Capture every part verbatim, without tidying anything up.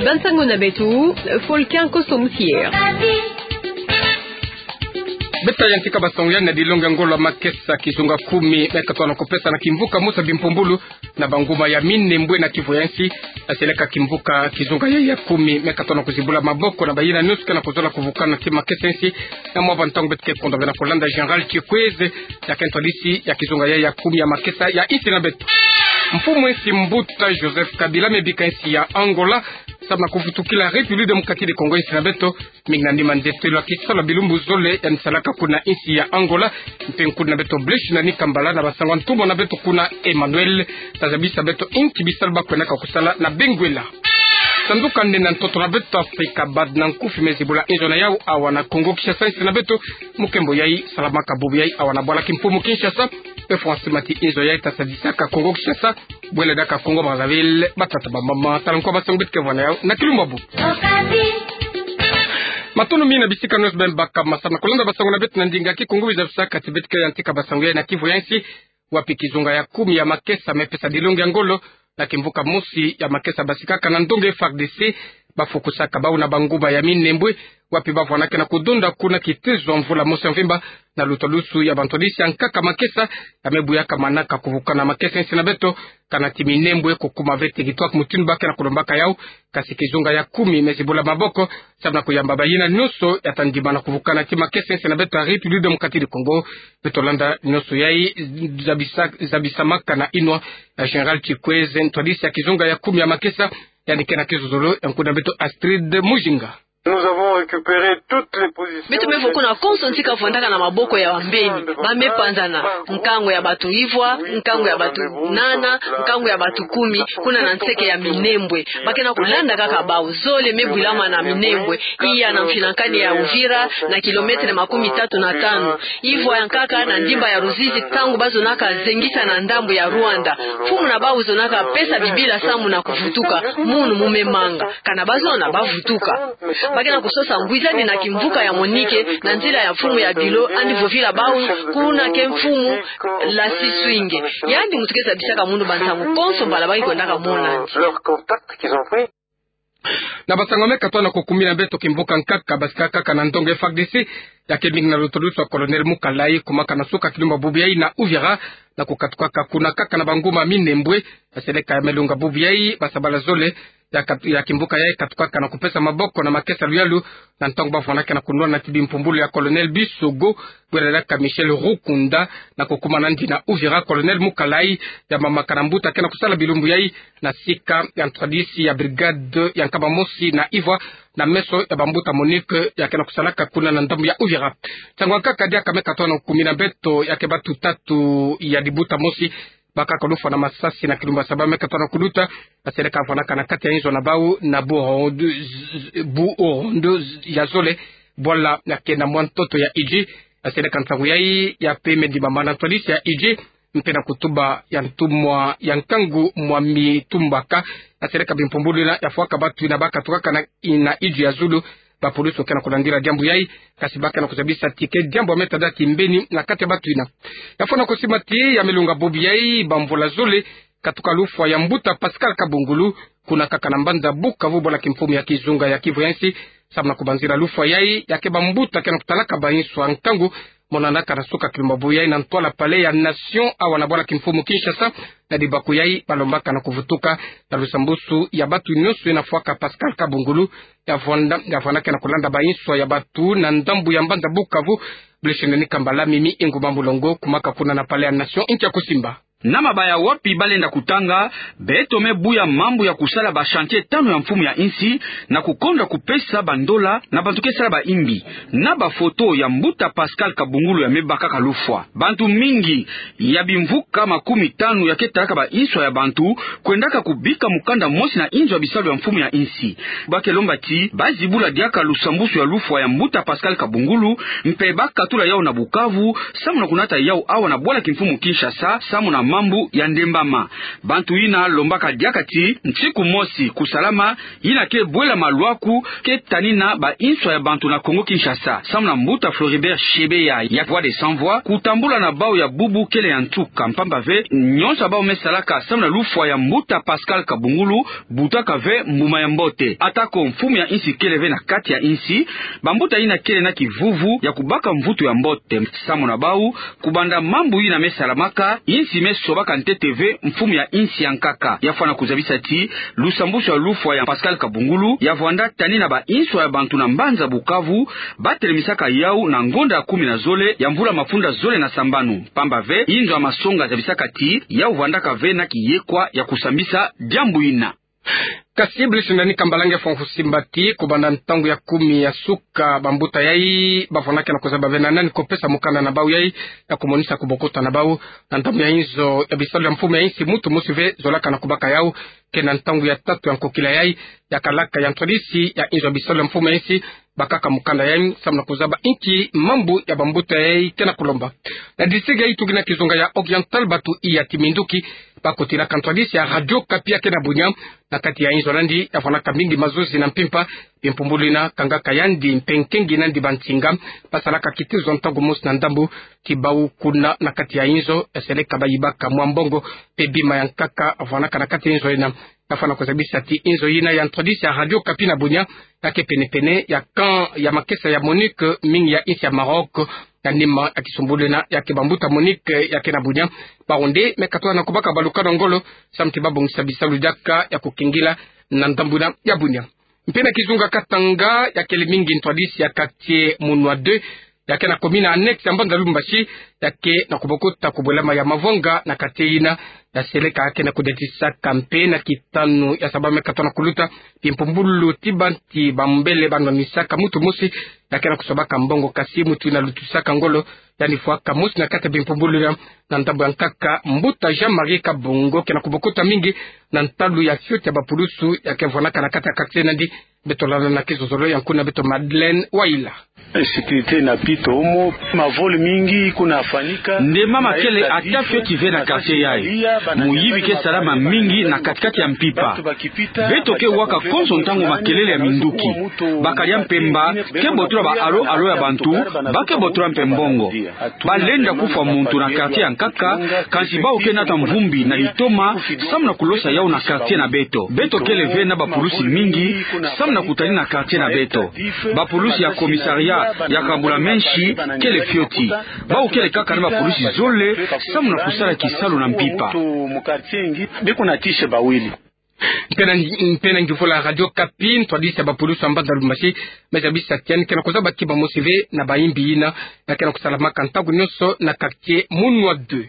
Bansango na beto, Folkin Kosomsier. Beto yantika bansango ya na dilongi ya ngolo ya makesa kizunga kumi me katono kupesa na kimvuka mosi ya bimpumbulu na banguma ya minembwe na kivu ya nsi. Aseleka kimvuka kizunga ya, ya kumi me katono kuzibula maboko na bayina nyonso ke na kuzola kuvukana ntima makesa ya nsi. Na mwa bantangu beto ke kondwa ve na kulanda General Chikweze, ya ke ntwadisi ya kizunga ya, ya kumi ya makesa ya nsi na beto. Mfumu nsi mbuta Joseph Kabila me bika nsi ya Angola samu na kuvutukila République Démocratique du Congo, nsi na beto. Mingi na nima ndetelo ya kisalu ya bilumbu zole yandi salaka kuna nsi ya Angola. Mpe nkundi na beto Blaise Nani Kambala na bansango ya ntumwa na beto kuna Emmanuel, ta zabisa beto inki bisalu ba kwendaka kusala na Benguela. Sanduka nene ya ntoto na beto Afrika, bad na nkufi, me zibula inzo na yau awa na Congo Kinshasa, nsi na beto. Mukembo yai salamaka bubu yai awa na bwala kimfumu Kinshasa. Mpe François Mati, inzo yai ta sadisaka Congo Kinshasa, bwela diaka Congo Brazzaville. Batata, bamama, tala nkwa bansango beto ke vwanda yau na kilumbu ya bubu. Matondo mingi na bisika nyonso beno baka masa na kulanda bansango na beto na ndinga Kikongo. Biza bisaka ti beto ke yantika bansango yai na kivu ya nsi, wapi kizunga ya kumi ya makesa me pesa dilongi ya ngolo na kimvuka mosi ya makesa basikaka na ndonge F A R D C, bafukusaka bau na banguma ya minembwe, wapi bavwanaka na kudonda kuna kitezo ya mvula mosi ya mvimba, na lutwadusu ya bantwadisi ya nkaka makesa, ya me buyaka manaka kuvukana makesa ya nsi na beto. Kana ti minembwe kukuma ve territoire mutindu ba ke na kulombaka yau, kasi kizunga ya kumi me zibula maboko samu na kuyamba bayina nyonso ya ta ndimana kuvukana ntima makesa ya nsi na beto ya République Démocratique du Congo. Beto landa nyonso yai zabisa, zabisamaka na inwa ya Général Chikweze, ntwadisi ya kizunga ya kumi ya makesa, yandi ke na kizozolo ya nkundi na beto Astrid Mujinga. Nous avons récupéré toutes les positions. Beto me vukuna konso nti kavwandaka na maboko ya bambeni. Ba me panzana nkangu ya bato ivwa, nkangu ya bato nana, nkangu ya bato kumi, kuna na nseke ya minembwe. Ba ke na kulanda kaka bau. Zole me bwilama na minembwe, iya na mfinankani ya Uvira, na kilomètre makumi tatu na tanu. Ivwa ya nkaka na ndimba ya Ruzizi, ntangu bazonaka zengisa na ndambu ya Rwanda. Mfumu na bau zonaka pesa bibila samu na kuvutuka, munu mu me manga. Kana bazona, bavutuka. Ba ke na kusosa ngwizani na kimvuka ya MONUC na nzila ya mfumu ya Bilo, yandi vovila bau, kuna ke mfumu Lassy Swinge. Yandi muntu ke zabisaka munu bansangu konso mbala ba ke kwendaka mona yandi. Na bansango me katono kukumina beto, kimvuka nkaka basikaka na ndonge F A R D C, ya ke mingi na lutwadusu ya Colonel Mukalayi, kumaka na suka kilumbu ya bubu yai na Uvira, na kukatukaka kuna nkaka na banguma minembwe. Aseleka ya melunga bubu yai, basabala zole ya kat-, ya kimvuka yai katukaka na kupesa maboko na makesa luyalu, na ntangu bavwanaka na kunwana ti bimpumbulu ya Colonel Bisogo, bwela diaka Michel Rukunda, na kukuma nandi na Uvira. Colonel Mukalayi yambamaka na mbuta ke na kusala bilumbu yai na sika ya ntwadisi ya brigade ya nkama mosi na ivwa, na meso ya bambuta MONUC ya ke na kusalaka kuna na ndambu ya Uvira. Nsangu ya nkaka diaka me katono kukumina beto, ya ke batu tatu ya libuta mosi bakaka lufwa na masasi na kilumbu ya saba me katono kuluta. Aseleka bavwanaka na kati ya inzo na bau na Burondu, Burondu ya zole, bwala ya ke na mwa ntoto ya Idjwi. Aseleka nsangu yai ya pemedi mama na ntwadisi ya Idjwi, mpe na kutuba ya ntumwa ya nkangu Mwami Tumbaka. Aseleka bimpumbulu yina ya fwaka batu yina bakatukaka na, na Idjwi ya zulu. Bapulusu ke na kulandila diambu yai, kasi ba ke na kuzabisa ti ke diambu ya me tada kimbeni na kati ya batu yina. Ya fwana kusimba ti ya melunga bubu yai, bamvula zole katuka lufwa ya mbuta Pascal Kabungulu, kuna kaka na mbanza Bukavu, bwala kimfumu ya kizunga ya Kivu ya nsi, samu na kubanzila lufwa yai, ya ke bambuta ke na kutalaka bainso ya nkangu, monanaka na suka kilumbu ya bubu yai na ntwala Palais ya Nation, awa na bwala kimfumu Kinshasa. Na libaku yai, balombaka na kuvutuka na lusambusu ya batu nyonso yina fwaka Pascal Kabungulu, ya vwanda, ya vwanda ke na kulanda bainso ya batu na ndambu ya mbanza Bukavu. Blaise Nani Kambala, Mimi Nguma Mulongo, kumaka kuna na Palais ya Nation, nkia kusimba. Na mabaya wapi balenda kutanga, beto me buya mambu ya kusala ba chantier tanu ya mfumu ya nsi, na kukonda kupesa bandola na bantu ke sala baimbi, na bafoto ya mbuta Pascal Kabungulu ya me bakaka lufwa. Bantu mingi ya bimvuka makumi tanu ya ke talaka bainso ya bantu kwendaka kubika mukanda mosi na inzo ya bisalu ya mfumu ya nsi. Ba ke lomba ti bazibula diaka lusambusu ya lufwa ya mbuta Pascal Kabungulu, mpe bakatula yau na Bukavu, samu na kunata yau awa na bwala kimfumu Kinshasa, samu na mambu ya ndembama. Bantu yina lombaka diaka ti nsiku mosi kusalama yina ke bwela maluaku ke tanina ba inswa ya bantu na Kongo Kinshasa. Samu na mbuta Floribert Chebeya ya Voix des Sans Voix, kutambula na bau ya bubu kele ya nsuka, mpamba ve nyonso ya bau me salaka samu na lufwa ya mbuta Pascal Kabungulu butaka ve mbuma ya mbote. Atako mfumu ya insi kele ve na kati ya insi, bambuta yina kele na kivuvu ya kubaka mvutu ya mbote. Samu na bau, kubanda mambu yina me salamaka, insi me sobaka ntete ve mfumu ya insi ya nkaka. Ya fwana kuzabisa ti lusambwasu ya lufwa ya Pascal Kabungulu ya vwanda tanina ba inswa ya bantu na mbanza Bukavu, ba telemisaka yau na ngonda ya kumi na zole ya mvula mafunda zole na sambanu. Mpamba ve inzo ya masonga zabisaka ti yau vwandaka ve na kiyekwa ya kusambisa diambu yina. Kasi Brice Ndani Kambala nge fwa nkusi mba ti kubanda ntangu ya kumi ya suka, bambuta yai ba fwanaka na kuzaba ve na nani ko pesa mukanda na bau yai ya kumonisa kubokota na bau na ndambu ya inzo ya bisalu ya mfumu ya insi, muntu mosi ve zolaka na kubaka yau. Ke na ntangu ya tatu ya nkokila yai ya kalaka ya ntwadisi ya inzo ya bisalu ya mfumu ya insi bakaka mukanda yai samu na kuzaba inki mambu ya bambuta yai ke na kulomba. Na district ya Ituri na kizunga ya Oriental, batu iya ti minduki ba kotilaka ntwadisi ya Radio Okapi ya ke na Bunia na kati ya inzo nandi ya fwanaka mingi mazozi na mpimpa. Bimpumbulu yina kangaka yandi mpe nkengi nandi bansinga ba salaka kitezo ntangu mosi na ndambu ti bau kuna na kati ya inzo ya seleka ba yibaka mwa mbongo mpe bima ya nkaka fwanaka na kati ya inzo yina. Ya fwana kuzabisa ti inzo yina ya ntwadisi ya Radio Okapi na Bunia ya ke penepene ya camp ya makesa ya MONUC, mingi ya insi ya Maroc. Na nima ya kisumbulu yina ya ke bambuta MONUC ya ke na Bunia, bawu nde me katoha na kubaka balukano ngolo samu ti ba bongisa bisalu diaka ya kukengila na ndambu yina ya Bunia. Mpe na kizunga Katanga, ya kele mingi ntwadisi ya quartier Munwa deux ya ke na commune annexe ya mbanza Lubumbashi ya ke na kubokota kubwelama ya mavonga na quartier yina ya seleka ya ke na kudiatisaka mpe na kitanu ya saba me katoha na kuluta bimpumbulu ti bantu ba mbele ba nwanisaka muntu mosi ya ke na kusobaka mbongo, kasi muntu yina lutisaka ngolo yandi fwaka mosi na kati ya bimpumbulu yina. Na ndambu ya nkaka, mbuta Jean-Marie Kabongo ke na kubokota mingi na ntalu ya fioti ya bapulusu ya ke vwanaka na kati ya quartier nandi. Beto landa na kizozolo ya nkuna beto Madeleine Waila. Insécurité na pito omo, ma vol mingi kuna fanika. Nde mama kele ata fioti ve na quartier yai. Muyibi ke salama mingi na kati-kati ya mpimpa. Beto ke waka konso ntangu makelele ya minduki. Bakadi ya mpemba ke botola ba allô-allô ya bantu, ba ke botola mpe mbongo. Ba lenda kufwa muntu na quartier ya nkaka, kansi bawu ke nata mvumbi na litoma samu na kulosa yawu na quartier na beto. Beto kele ve na bapulusi mingi samu na kutanina quartier na beto. Bapulusi ya commissariat ya Kabula-Menshi kele fioti. Bawu kele kaka na bapulusi zole samu na kusala kisalu na mpimpa. Beko na tishe bawili. Mpe na, mpe na nguvula Radio Okapi, ntwadisi ya bapulusu ya mbanza Lubumbashi me zabisa ti yandi ke na kuzaba kima mosi ve na bayimbi yina ya ke na kusalamaka ntangu nyonso na quartier Munwa deux.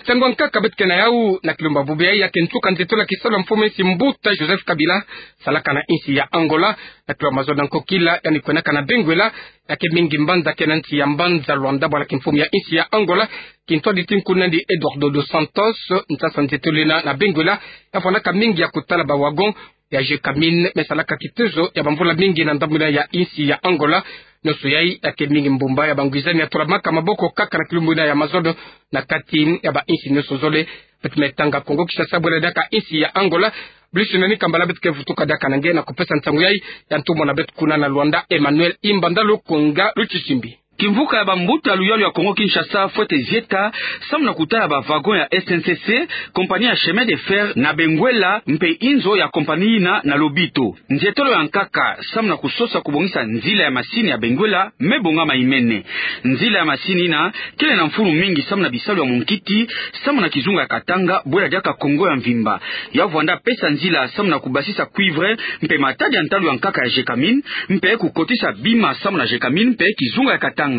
Nsangu ya nkaka beto ke na yawu na kilumbu bubu yai ya ke nsuka nzietolo ya kisalu ya mfumu ya insi mbuta Joseph Kabila salaka na insi ya Angola. Na kilumbu mazono ya nkokila yandi kwenaka na Benguela, ya ke mingi mbanza ke na nsi ya mbanza Luanda, bwala kimfumu ya insi ya Angola, kintwadi ti nkuna nandi Eduardo dos Santos, nsasa nzietolo yina na Benguela ya fwanaka mingi ya kutala ba wagon ya Gécamines me salaka kitezo ya bamvula mingi na ndambu yina ya insi ya Angola. Nyonso yai ya ke mingi mbumba ya bangwizani ya tolamaka maboko kaka na kilumbu yina ya mazono na kati ya ba insi nyonso zole. Beto me tanga Kongo Kinshasa bwela diaka insi ya Angola. Brice Ndani Kambala beto ke vutuka diaka na nge na kupesa nsangu yai ya ntumwa na beto kuna na Luanda, Emmanuel Imbanda Lukunga Luchichimbi. Kimvuka ya bambuta luyalu ya Kongo Kinshasa fwete zieta samu na kutala ba wagon ya S N C C, compagnie ya chemin de fer na Benguela, mpe inzo ya compagnie yina na Lobito. Nzietolo ya nkaka samu na kusosa kubongisa nzila ya masini ya Benguela me bongama imene. Nzila ya masini yina kele na mfunu mingi samu na bisalu ya munkiti, samu na kizunga ya Katanga bwela diaka Kongo ya mvimba. Ya vwanda pesa nzila samu na kubasisa cuivre mpe matadi ya ntalu ya nkaka ya Gécamines, mpe kukotisa bima samu na Gécamines mpe kizunga ya Katanga.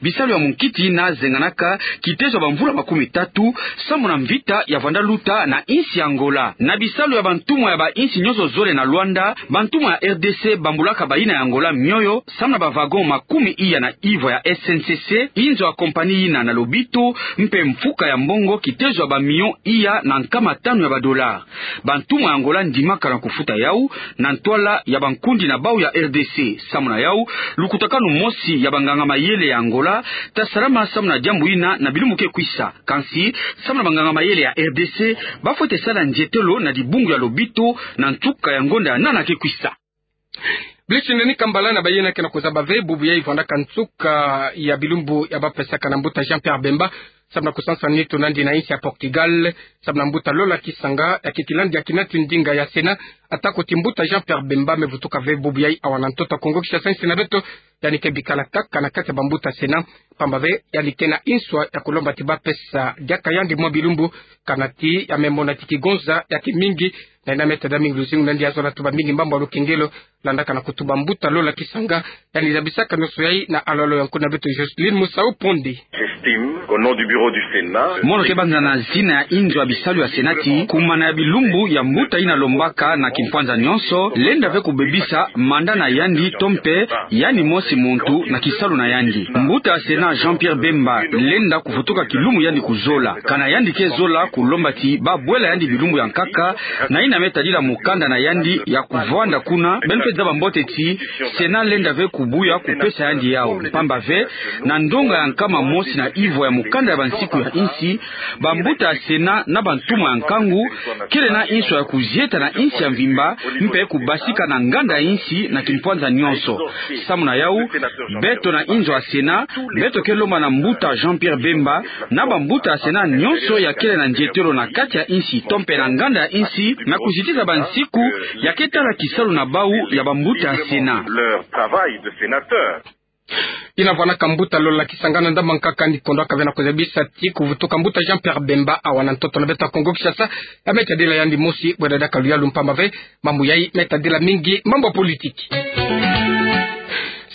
Bisalu ya munkiti yina zenganaka kitezo ya bamvula makumi tatu samu na mvita ya vwanda luta na insi ya Angola. Na bisalu ya bantumwa ya ba insi nyonso zole na Luanda, bantumwa ya R D C bambulaka bayina ya Angola mioyo samu na ba wagon makumi iya na ivwa ya S N C C, inzo ya compagnie yina na Lobito, mpe mfuka ya mbongo kitezo ya ba millions iya na nkama tanu ya ba dollars. Bantumwa ya Angola ndimaka na kufuta yawu na ntwala ya bankundi na bawu ya R D C. Samu na yawu, lukutakanu mosi ya banganga mayele ya Angola, ta salama samu na diambu ina na bilumbu ke kwisa. Kansi, samu na banganga mayele ya R D C, ba fwete sala nzietelo na dibungu ya lobito na nsuka ya ngonda ya nana ke kwisa. Blichi nani kambala na bayina ke na kuzaba ve bubu yai vwandaka nsuka ya bilumbu ya ba pesaka na mbuta Jean-Pierre Bemba, samu na kusansana nitu nandi na insi ya Portugal, samu na mbuta Lola Kisanga, ya ke kilandi ya kinati ndinga ya Sénat, atako ti mbuta Jean-Pierre Bemba me vutuka ve bubu yai awa na ntoto Kongo Kinshasa, insi na beto, yandi ke bikala kaka na kati ya bambuta Sénat, pamba ve yandi ke na inswa ya kulomba ti ba pesa diaka yandi mwa bilumbu, kanati ya me mona ti kigonza ya kimingi, na ina me tada mingi luzingu nandi ya zola tuba mingi mambu ya lukengelo, landaka na kutuba mbuta Lola Kisanga, yandi zabisaka nioso yai na alolo ya nkuna beto Jocelyne Musau Pondi. J'estime qu'au nom du bureau du Sénat, mono ke banza na zina ya inzo ya bisalu ya Sénat ti, kumana ya bilumbu ya mbuta ina lombaka na kimpwanza nionso, lenda ve kubebisa manda na yandi to mpe yandi mosi muntu na kisalu na yandi. Mbuta ya Sénat Jean-Pierre Bemba lenda kuvutuka kilumbu yandi kuzola. Kana yandi ke zola kulomba ti ba bwela yandi bilumbu ya nkaka, na ina me tadila mukanda na yandi ya kuvwanda kuna, beno ke zaba mbote ti Sénat lenda ve kubuya kupesa yandi yau. Pamba ve, na ndonga ya nkama mosi na ivwa ya mukanda ya bansiku ya insi, bambuta ya Sénat na bantumwa ya nkangu kele na inswa ya kuzieta na insi ya mvimba, mpe kubasika na nganda ya insi na kimpwanza nionso. Samu na yau, beto na inzo ya Sénat, beto ke lomba na mbuta Jean-Pierre Bemba, na bambuta ya Sénat nionso ya kele na nzietelo na kati ya insi to mpe na nganda ya insi, na kuzitisa bansiku ya ke tala kisalu na bau ya bambuta ya Sénat. Leur travail de sénateur. Ina vwanaka mbuta Lola Kisanga na ndambu ya nkaka, ni kondwaka ve na kuzabisa ti kuvutuka mbuta Jean-Pierre Bemba awa na ntoto na beto ya Kongo Kinshasa, ya me tadila yandi mosi bwela diaka luyalu, mpamba ve mambu yai me tadila mingi mambu ya politiki.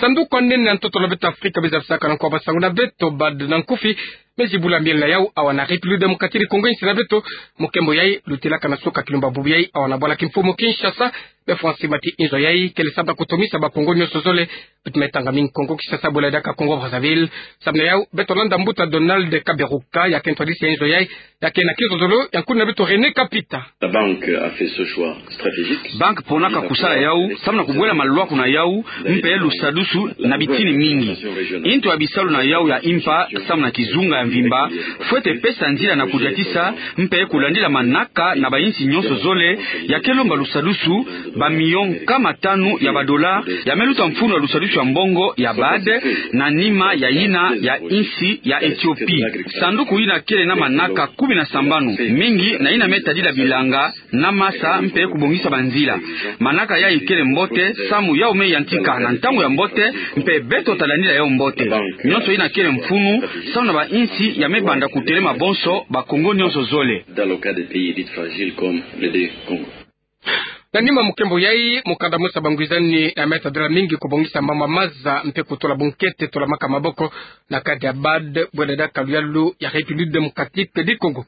Sanduku ya nene ya ntoto na beto ya Afrika me zabisaka na nko ya basangu na beto BAD na nkufi, me zibula miel na yau awa na République Démocratique du Congo, insi na beto. Mukembo yai lutilaka na suka kilumba bubu yai awa na bwala kimfumu Kinshasa. Be fwa nsi mati inzo yai kele samu na kutumisa Bakongo nionso zole, beto me tanga mingi Kongo Kinshasa bwela diaka Congo Brazzaville. Samu na yau, beto landa mbuta Donald Kaberuka, ya ke ntwadisi ya inzo yai, ya ke na kizololo ya nkuna beto René Kapita. La banque a fait ce choix stratégique. Banque ponaka kusala yau samu na kubwela malwaku na yau, mpe lusadusu na bitini mingi. Inzo ya bisalu na yau ya impa samu na kizunga ya mvimba fwete pesa nzila na kudiatisa mpe kulandila manaka na bainsi nionso zole, ya ke lomba lusadusu, bamilio nkama tanu ya badola ya me luta mfunu ya lusadusu ya mbongo ya BAD, na nima ya yina ya insi ya Ethiopie. Sanduku yina kele na manaka kumi na sambanu, mingi na yina me tadila bilanga na masa mpe kubongisa banzila. Manaka yai kele mbote, samu yau me yantika na ntangu ya mbote, mpe beto talandila yau mbote. Nionso yina kele mfunu samu na bainsi ya me banda kutelema bonso, Bakongo nionso zole. Dans le cas des pays dits fragiles comme les deux Congo. Na nima mukembo yai, mukanda mosi ya bangwizani ya me tadila mingi kubongisa mama maza mpe kutula bunkete tulamaka maboko na kati ya BAD bwela diaka luyalu ya République Démocratique du Congo.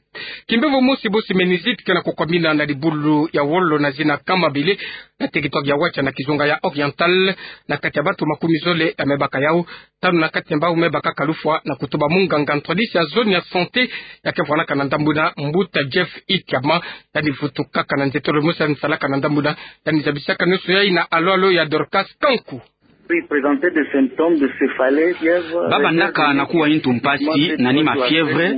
Kimbevo mosi bosi méningite ke na kukwamina na dibulu ya wolo na zina Kamabele, na territoire ya Watia na kizunga ya Oriental, na kati ya bantu makumi zole ya me baka yau, tanu na kati ya mbau me bakaka lufwa, na kutuba munganga ntwadisi ya zone ya santé ya ke vwanaka na ndambu yina, mbuta Jeff Ikiama. Yandi vutukaka na nzietolo mosi yandi salaka na ndambu yina, yandi zabisaka nionso yai na alo-alo ya Dorcas Kanku. Ba bandaka na kuwa ntu mpasi na nima fièvre,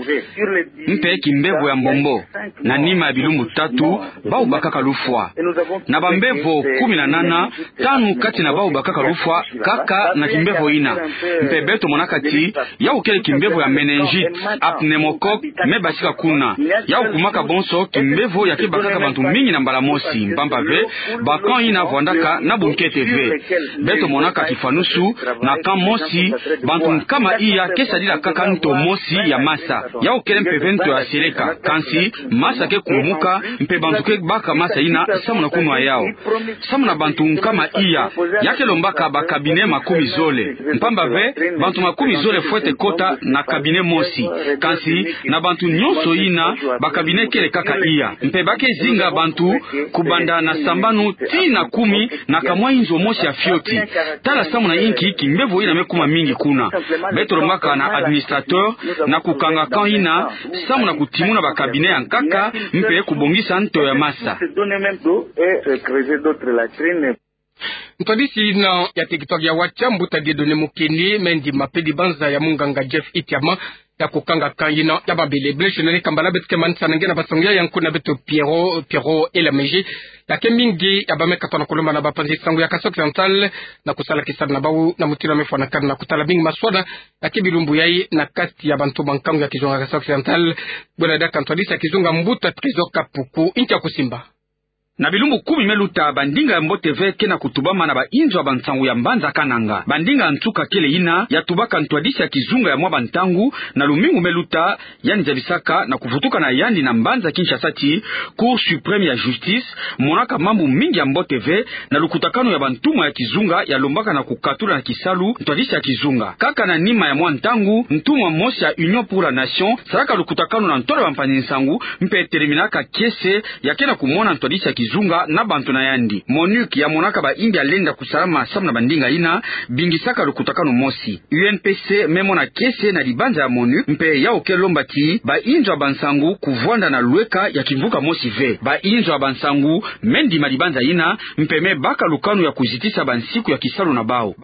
mpe kimbevo ya mbombo. Na nima ya bilumbu tatu, bau bakaka lufwa. Na bambevo kumi na nana, tanu kati na bau bakaka lufwa kaka na kimbevo yina. Mpe beto monaka ti yau kele kimbevo ya méningite, pneumocoque, me basika kuna. Yau kumaka bonso kimbevo ya ke bakaka bantu mingi na mbala mosi, mpamba ve ba camp yina vwandaka na bunkete ve. Beto monaka kifwanusu na camp mosi, bantu nkama iya ke sadila kaka nto mosi ya masa. Yau kele mpeve nto ya seleka, kansi masa ke kumuka, mpe bantu ke baka masa yina samu na kunwa yau. Samu na bantu nkama iya, ya ke lombaka ba cabinet makumi zole. Mpamba ve, bantu makumi zole fwete kota na cabinet mosi. Kansi na bantu nionso yina, ba cabinet kele kaka iya. Mpe ba ke zinga bantu kubanda na sambanu tii na kumi na kamwa inzo mosi ya fioti. Tala samu na inki kimbevo yina me kuma mingi kuna. Beto lombaka na administrateur na kukanga camp yina samu na kutimuna ba cabinet ya nkaka mpe kubongisa nto ya masa. Ntwadisi na ya teritware ya Watia, mbuta Dieudonné Mukeni, me ndima pe dibanza ya munganga Jeff Itiama ya kukanga kan yina ya mabele. Blaise Nene Kambala beto ke manisana nge na basangu ya nkunga beto Pierrot, Pierrot Elamege. Ya ke mingi ya bamekatwa na kulomba na bapanzi nsangu ya Kasai Occidental na kusala kisalu na bawu na mutindu ya mefwanakana na kutala mingi maswala ya ke bilumbu yayi na kati ya bantu ba nkangu ya kizunga Kasai Occidental. Bwela diaka ntwadisi ya kizunga mbuta Trésor Kapuku nkia kusimba. Na bilumbu kumi me luta, bandinga ya mbote ve ke na kutubama na bainzo ya bansangu ya mbanza Kananga. Bandinga ya nsuka kele yina ya tubaka ntwadisi ya kizunga ya mwa bantangu na lumingu me luta, yandi zabisaka na kuvutuka na yandi na mbanza Kinshasa ti Cour suprême ya justice monaka mambu mingi ya mbote ve na lukutakanu ya bantumwa ya kizunga ya lombaka na kukatula na kisalu ntwadisi ya kizunga. Kaka na nima ya mwa ntangu, ntumwa mosi ya Union pour la Nation salaka lukutakanu na ntwala ya bampanzi nsangu mpe teleminaka kiese ya ke na kumona ntwadisi ya kizunga na bantu na yandi. MONUC ya monaka baimbi ya lenda kusalama samu na bandinga yina bingisaka lukutakanu mosi. U N P C me mona kiese na dibanza ya MONUC mpe yawu ke lomba ti bainzo ya bansangu kuvwanda na lweka ya kimvuka mosi ve. Bainzo ya bansangu me ndima dibanza yina mpe me baka lukanu ya kuzitisa bansiku ya kisalu na bawu.